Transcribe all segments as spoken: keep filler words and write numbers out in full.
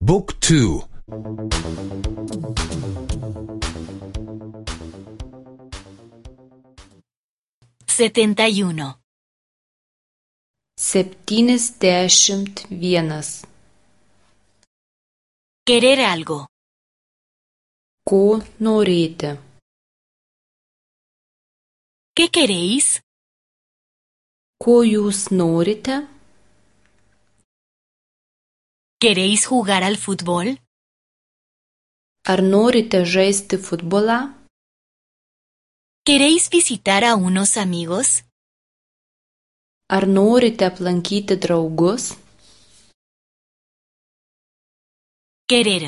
บุ๊กทูsetenta y uno. Septyniasdešimt vienas. Querer algo. Ko norėti? ¿Qué queréis? Ko jūs norite? ¿Queréis jugar al fútbol? Ar norite žaisti futbolą? ¿Queréis visitar a unos amigos? Ar norite aplankyti draugus? Querer.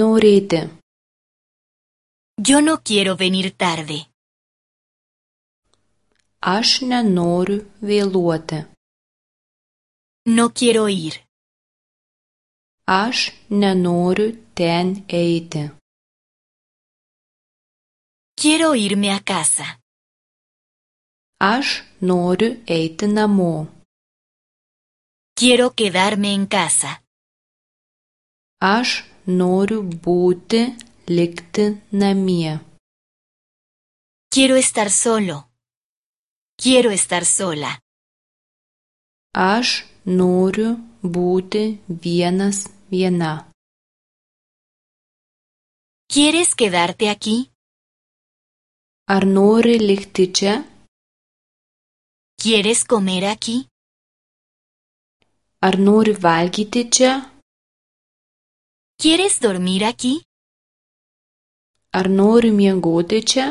Norėti. Yo no quiero venir tarde. Aš nenoriu vėluoti. No quiero ir. Aš nenoriu ten eiti. Quiero irme a casa. Aš noriu eiti namo. Quiero quedarme en casa. Aš noriu būti likti namie. Quiero estar solo. Quiero estar sola. Aš noriu būti vienas viena. ¿Quieres quedarte aquí? Ar nori likti čia? ¿Quieres comer aquí? Ar nori valgyti čia? ¿Quieres dormir aquí? Ar nori miegoti čia?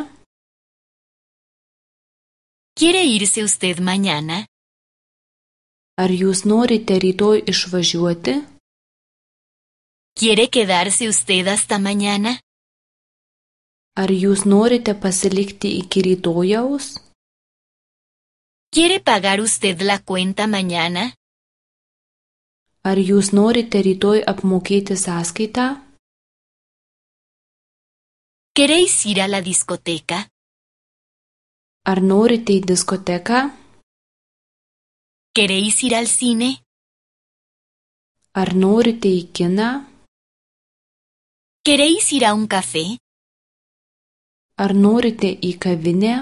¿Quiere irse usted mañana? Ar jūs norite rytoj išvažiuoti? ¿Quiere quedarse usted hasta mañana? Ar jūs norite pasilikti iki rytojaus? ¿Quiere pagar usted la cuenta mañana? Ar jūs norite rytoj apmokėti sąskaitą? ¿Queréis ir a la discoteca? Ar norite į diskoteką? ¿Queréis ir al cine? Ar norite į kiną? ¿Queréis ir a un café? Ar norite į kavinę?